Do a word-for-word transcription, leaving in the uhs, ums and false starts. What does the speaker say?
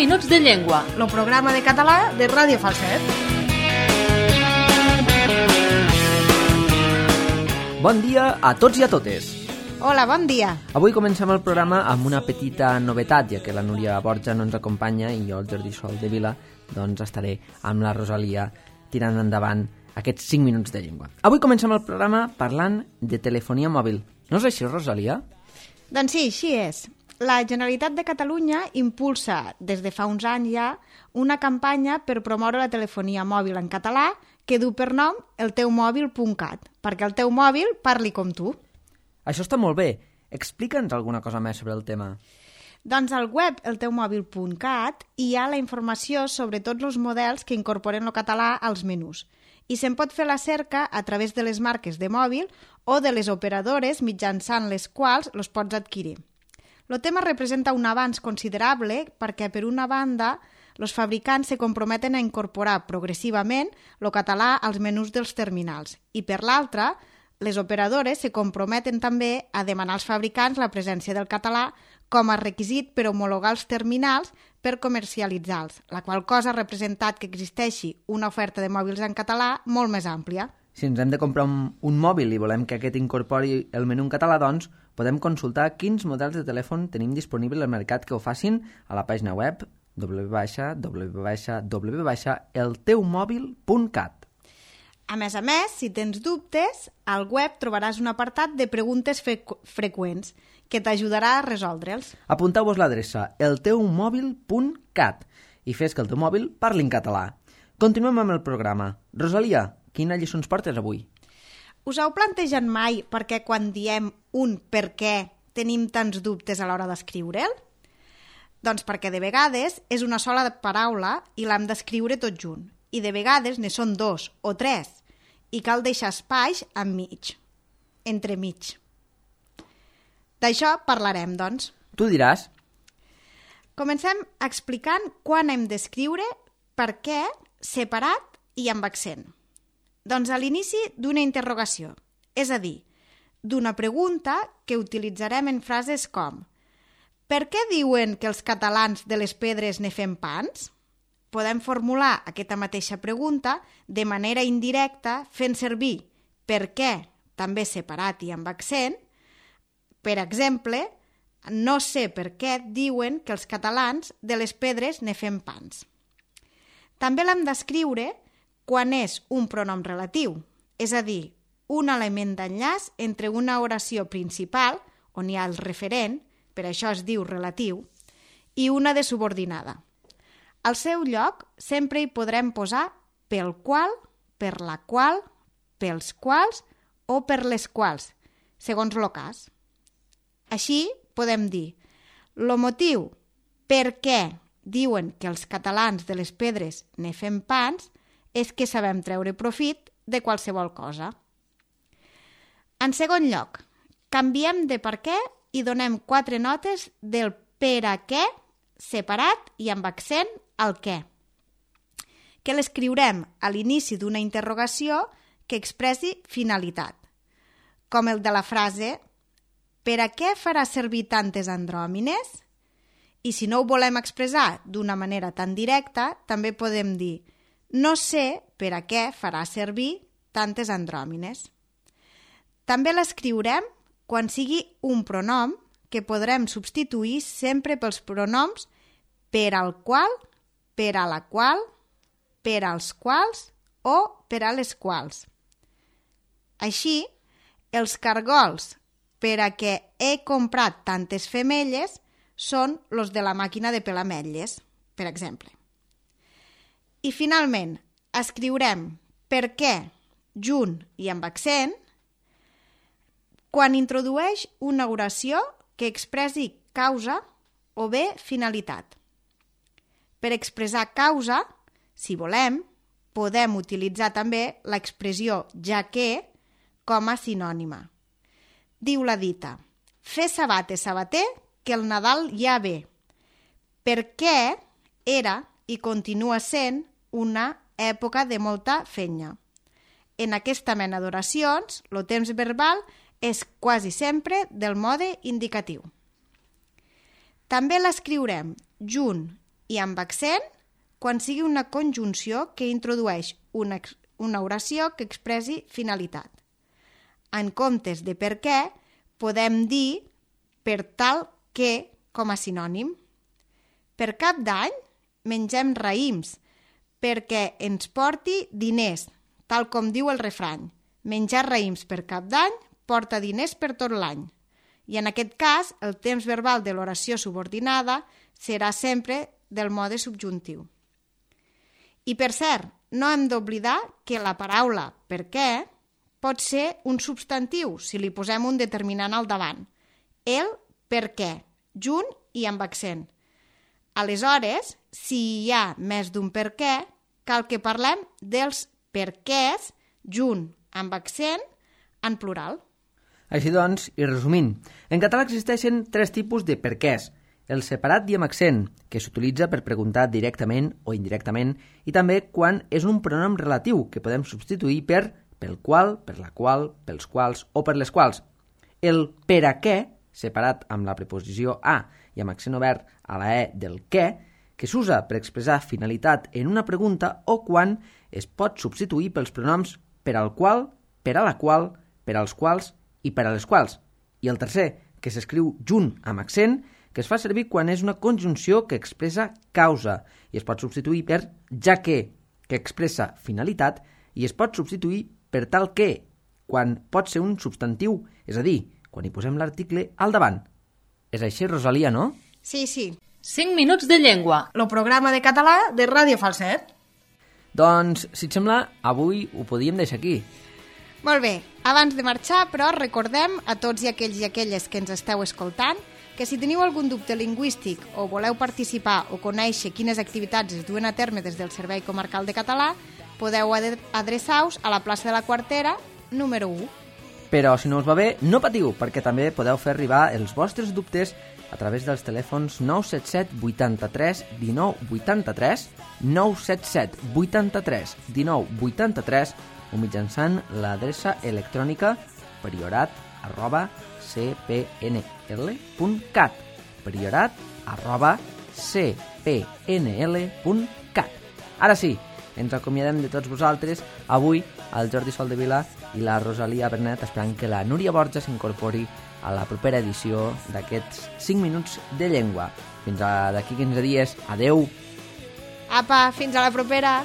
minuts de llengua. El programa de català de Ràdio Falset. Bon dia a tots i a totes. Hola, bon dia. Avui comencem el programa amb una petita novetat, ja que la Núria Borja no ens acompanya i jo, el Jordi Sol de Vila, doncs estaré amb la Rosalia tirant endavant aquests cinc minuts de llengua. Avui comencem el programa parlant de telefonia mòbil. No és així, Rosalia? Doncs sí, així és. La Generalitat de Catalunya impulsa, des de fa uns anys ja, una campanya per promoure la telefonia mòbil en català que du per nom el teu mòbil punt cat, perquè el teu mòbil parli com tu. Això està molt bé. Explica'ns alguna cosa més sobre el tema. Doncs al web el teu mòbil punt cat hi ha la informació sobre tots els models que incorporen el català als menús i se'n pot fer la cerca a través de les marques de mòbil o de les operadores mitjançant les quals els pots adquirir. El tema representa un avanç considerable perquè, per una banda, els fabricants se comprometen a incorporar progressivament el català als menús dels terminals i, per l'altra, les operadores se comprometen també a demanar als fabricants la presència del català com a requisit per homologar els terminals per comercialitzar-los, la qual cosa ha representat que existeixi una oferta de mòbils en català molt més àmplia. Si ens hem de comprar un, un mòbil i volem que aquest incorpori el menú en català, doncs podem consultar quins models de telèfon tenim disponible al mercat que ho facin a la pàgina web w w w punt el teu mòbil punt cat. A més a més, si tens dubtes, al web trobaràs un apartat de preguntes fre freqüents que t'ajudarà a resoldre'ls. Apunteu-vos l'adreça el teu mòbil punt cat i fes que el teu mòbil parli en català. Continuem amb el programa. Rosalia, quina lliçó ens portes avui? Us heu plantejat mai perquè quan diem un per què tenim tants dubtes a l'hora d'escriure'l? Doncs perquè de vegades és una sola paraula i l'hem d'escriure tot junt. I de vegades ne són dos o tres i cal deixar espais enmig, entremig. D'això parlarem, doncs. Tu diràs. Comencem explicant quan hem d'escriure per què separat i amb accent. Doncs a l'inici d'una interrogació, és a dir, d'una pregunta que utilitzarem en frases com «Per què diuen que els catalans de les pedres ne fem pans?» Podem formular aquesta mateixa pregunta de manera indirecta fent servir per què, també separat i amb accent. Per exemple, no sé per què diuen que els catalans de les pedres ne fem pans. També l'hem d'escriure quan és un pronom relatiu, és a dir, un element d'enllaç entre una oració principal, on hi ha el referent, per això es diu relatiu, i una de subordinada. Al seu lloc sempre hi podrem posar pel qual, per la qual, pels quals o per les quals, segons el cas. Així podem dir, el motiu per què diuen que els catalans de les pedres ne fem pans és que sabem treure profit de qualsevol cosa. En segon lloc, canviem de per què i donem quatre notes del per a què separat i amb accent al què, que l'escriurem a l'inici d'una interrogació que expressi finalitat, com el de la frase «Per a què farà servir tantes andròmines?» I si no ho volem expressar d'una manera tan directa, també podem dir «No sé per a què farà servir tantes andròmines». També l'escriurem quan sigui un pronom que podrem substituir sempre pels pronoms per al qual, per a la qual, per als quals o per a les quals. Així, els cargols per a què he comprat tantes femelles són els de la màquina de pelar ametlles, per exemple. I finalment, escriurem per què junt i amb accent quan introdueix una oració que expressi causa o bé finalitat. Per expressar causa, si volem, podem utilitzar també l'expressió ja que com a sinònima. Diu la dita, fer sabate sabater que el Nadal ja ve, perquè era i continua sent una època de molta fenya. En aquesta mena d'oracions, el temps verbal és quasi sempre del mode indicatiu. També l'escriurem junt i amb accent quan sigui una conjunció que introdueix una, una oració que expressi finalitat. En comptes de per què, podem dir per tal que com a sinònim. Per Cap d'Any mengem raïms perquè ens porti diners, tal com diu el refrany. Menjar raïms per Cap d'Any porta diners per tot l'any. I en aquest cas, el temps verbal de l'oració subordinada serà sempre del mode subjuntiu. I per cert, no hem d'oblidar que la paraula per què pot ser un substantiu si li posem un determinant al davant. El per què, junt i amb accent. Aleshores, si hi ha més d'un per què, cal que parlem dels perquès junt amb accent en plural. Així doncs, i resumint, en català existeixen tres tipus de perquès. El separat i amb accent, que s'utilitza per preguntar directament o indirectament, i també quan és un pronom relatiu que podem substituir per pel qual, per la qual, pels quals o per les quals. El per a què, separat amb la preposició a i amb accent obert a la e del què, que s'usa per expressar finalitat en una pregunta o quan es pot substituir pels pronoms per al qual, per a la qual, per als quals i per a les quals. I el tercer, que s'escriu junt amb accent, que es fa servir quan és una conjunció que expressa causa i es pot substituir per ja que, que expressa finalitat, i es pot substituir per tal que, quan pot ser un substantiu, és a dir, quan hi posem l'article al davant. És així, Rosalia, no? Sí, sí. cinc minuts de llengua. El programa de català de Ràdio Falset. Doncs, si et sembla, avui ho podíem deixar aquí. Molt bé, abans de marxar, però, recordem a tots i aquells i aquelles que ens esteu escoltant que si teniu algun dubte lingüístic o voleu participar o conèixer quines activitats es duen a terme des del Servei Comarcal de Català, podeu adreçar-vos a la plaça de la Quartera, número u. Però si no us va bé, no patiu, perquè també podeu fer arribar els vostres dubtes a través dels telèfons nou set set vuitanta-tres dinou vuitanta-tres, nou set set vuitanta-tres dinou vuitanta-tres o mitjançant l'adreça electrònica priorat arroba c p n l punt cat, priorat arroba c p n l punt cat. Ara sí, ens acomiadem de tots vosaltres, avui el Jordi Soldevila i la Rosalia Bernet, esperant que la Núria Borja s'incorpori a la propera edició d'aquests cinc minuts de llengua. Fins a d'aquí quinze dies. Adeu! Apa, fins a la propera!